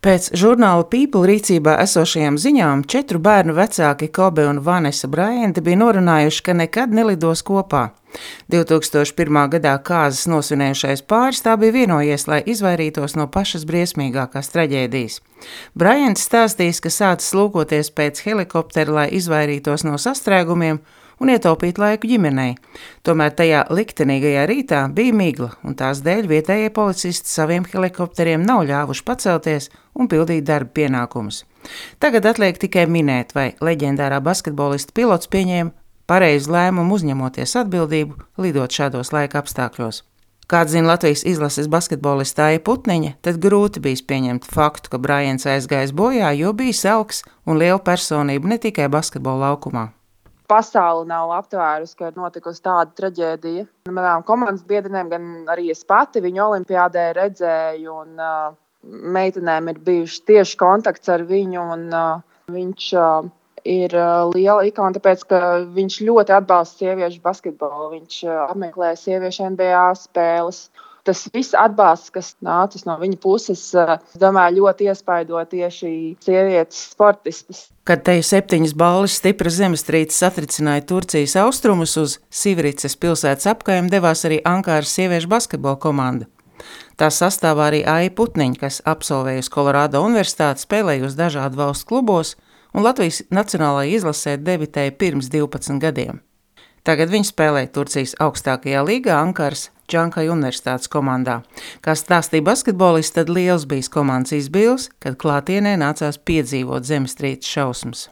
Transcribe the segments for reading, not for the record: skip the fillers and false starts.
Pēc žurnāla People rīcībā esošajām ziņām 4 bērnu vecāki Kobe un Vanessa Bryanti bija norunājuši, ka nekad nelidos kopā. 2001. gadā kāzas nosvinējušais pāris tā bija vienojies, lai izvairītos no pašas briesmīgākās traģēdijas. Bryants stāstījis, ka sācis lūkoties pēc helikoptera, lai izvairītos no sastrēgumiem un ietaupīt laiku ģimenei. Tomēr tajā liktenīgajā rītā bija migla, un tās dēļ vietējie policisti saviem helikopteriem nav ļāvuši pacelties un pildīt darba pienākumus. Tagad atliek tikai minēt, vai leģendārā basketbolista pilots pieņēma pareizu lēmumu uzņemoties atbildību, lidot šādos laika apstākļos. Kā atzina Latvijas izlases basketbolista Aija Putniņa, tad grūti bijis pieņemt faktu, ka Bryants aizgājis bojā, jo bija augs un liela personība ne tikai basketbola laukumā. Pasaule nav aptvērusi, ka ir notikusi tāda traģēdija. Manām komandas biedrenēm, gan arī es pati viņu olimpiādē redzēju, un meitenēm ir bijuši tieši kontakts ar viņu, un viņš ir liela ikona, tāpēc, ka viņš ļoti atbalsta sieviešu basketbolu. Viņš apmeklē sieviešu NBA spēles. Tas viss atbalsts, kas nācis no viņa puses, domāju, ļoti iespaido tieši sievietes sportistas. Kad teju 7 balles stipra zemestrīce satricināja Turcijas austrumus, uz Sivricas pilsētas apkaimi devās arī Ankāras sieviešu basketbola komanda. Tā sastāvā arī Aija Putniņa, kas absolvējusi Kolorādo universitāti, spēlējusi dažādu valstu klubos un Latvijas nacionālajā izlasē debitēja pirms 12 gadiem. Tagad viņa spēlē Turcijas augstākajā līgā Ankaras Džankai universitātes komandā. Kā stāstīja basketbolists, tad liels bijis komandas izbils, kad klātienē nācās piedzīvot zemestrīces šausmas.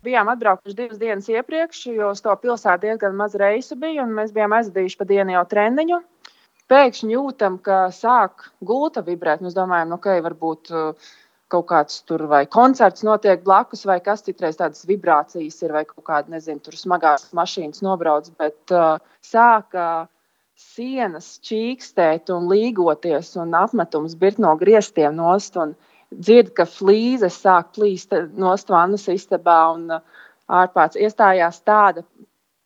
Bijām atbraukuši 2 dienas iepriekš, jo uz to pilsētu diezgan maz reisu bija, un mēs bijām aizvadījuši pa dienu jau treniņu. Pēkšņi jūtam, ka sāk gulta vibrēt. Mēs domājam, varbūt kaut kāds tur vai koncerts notiek blakus, vai kas citreiz tādas vibrācijas ir, vai kaut kāda, tur smagās mašīnas nobrauc, bet sāka sienas čīkstēt un līgoties, un apmetums birt no griestiem nost, un dzird, ka flīzes sāk plīst nost vannas istabā, un ārpēc iestājās tāda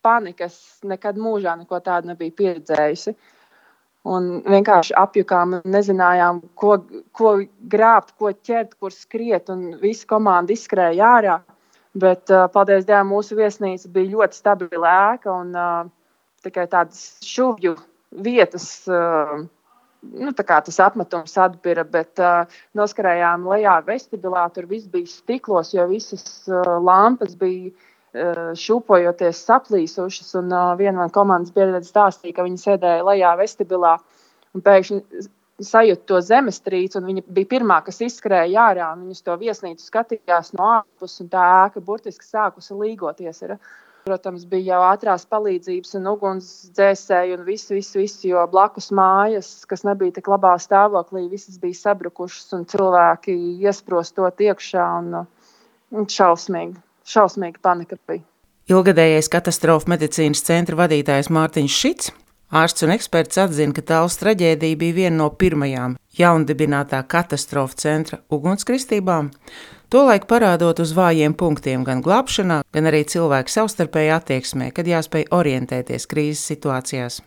panika, es nekad mūžā neko tādu nebiju pieredzējusi. Un vienkārši apjukām, nezinājām, ko grābt, ko ķert, kur skriet, un visa komanda izskrēja ārā. Bet, paldies Dievam, mūsu viesnīca bija ļoti stabila ēka, un tikai tādas šuvju vietas, tā kā tas apmetums atbira, bet noskarējām lejā vestibilā, tur viss bija stiklos, jo visas lampas bija šūpojoties saplīsušas, un viena no komandas biedrene stāstīja, ka viņa sēdēja lejā vestibilā un pēkšņi sajūta to zemestrīci, un viņa bija pirmā, kas izskrēja ārā, un viņa uz to viesnīcu skatījās no ārpus, un tā ēka burtiski sākusi līgoties. Protams, bija jau ātrās palīdzības un ugunsdzēsēji un viss, jo blakus mājas, kas nebija tik labā stāvoklī, visas bija sabrukušas, un cilvēki iesprostot iekšā, un šausmīga panika bija. Ilgadējais katastrofu medicīnas centra vadītājs Mārtiņš Šits, ārsts un eksperts, atzina, ka Tallas traģēdija bija viena no pirmajām jaundibinātā katastrofu centra ugunskristībām, tolaik parādot uz vājiem punktiem gan glābšanā, gan arī cilvēku savstarpējā attieksmē, kad jāspēj orientēties krīzes situācijās.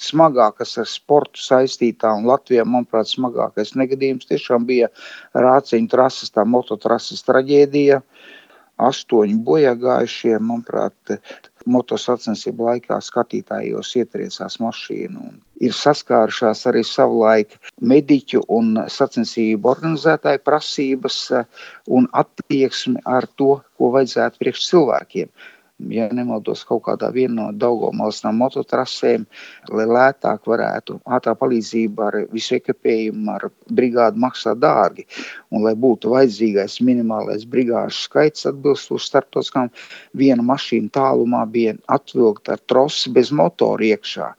Smagākas ar sportu saistītā, un Latvijā, manuprāt, smagākais negadījums tiešām bija Rāciņu trases, tā mototrases traģēdija. 8 bojāgājušie, manuprāt, motosacensību laikā skatītājos ietriecās mašīnu. Ir saskārušās arī savulaik mediķu un sacensību organizētāju prasības un attieksmi ar to, ko vajadzētu priekš cilvēkiem. Ja nemaldos kaut kādā viena no Daugavmalas mototrasēm, lai lētāk varētu ātrā palīdzība ar visu ekipējumu, ar brigādu maksā dārgi, un lai būtu vajadzīgais minimālais brigāžu skaits atbilstoši starptautiskām, viena mašīna tālumā bija atvilkta ar trosi bez motora iekšā.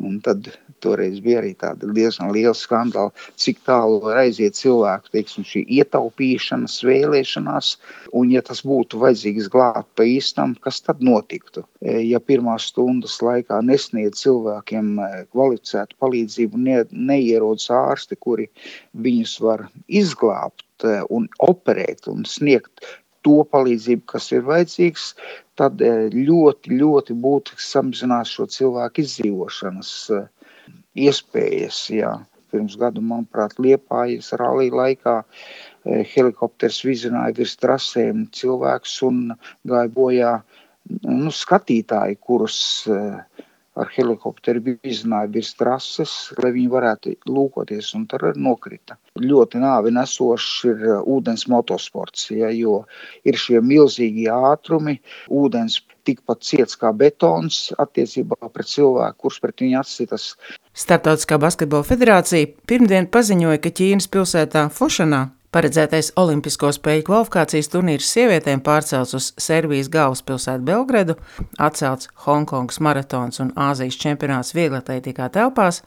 Un tad toreiz bija arī tāda diezgan liela skandāla, cik tālu var aiziet cilvēku, šī ietaupīšanas, vēlēšanās, un ja tas būtu vajadzīgs glābt pa īstam, kas tad notiktu? Ja pirmās stundas laikā nesniedz cilvēkiem kvalificētu palīdzību, neierodas ārsti, kuri viņus var izglābt un operēt un sniegt to palīdzību, kas ir vajadzīgs, tad ļoti, ļoti būtiski samazinās šo cilvēku izdzīvošanas iespējas. Jā. Pirms gadu, manuprāt, Liepājas rallija laikā helikopters vizināja virs trasēm cilvēkus un gāja bojā skatītāji, kurus ar helikopteru vizināja virs trases, lai viņi varētu lūkoties, un tad nokrita. Ļoti nāvi nesošs ir ūdens motosports, jo ir šie milzīgi ātrumi, ūdens tikpat ciets kā betons attiecībā pret cilvēku, kurš pret viņu atsitas. Starptautiskā basketbola federācija pirmdien paziņoja, ka Ķīnas pilsētā Fušanā paredzētais olimpisko spēļu kvalifikācijas turnīrs sievietēm pārcelts uz Serbijas galvaspilsētu Belgradu, atcelts Honkongas maratons un Āzijas čempionāts vieglatlētikā telpās,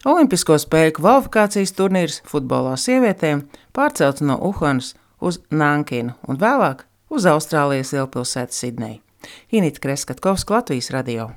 olimpisko spēļu kvalifikācijas turnīrs futbolā sievietēm pārcelts no Uhanas uz Nankinu un vēlāk uz Austrālijas lielpilsētu Sidneju. Inita Kreskatkovska, Latvijas radio.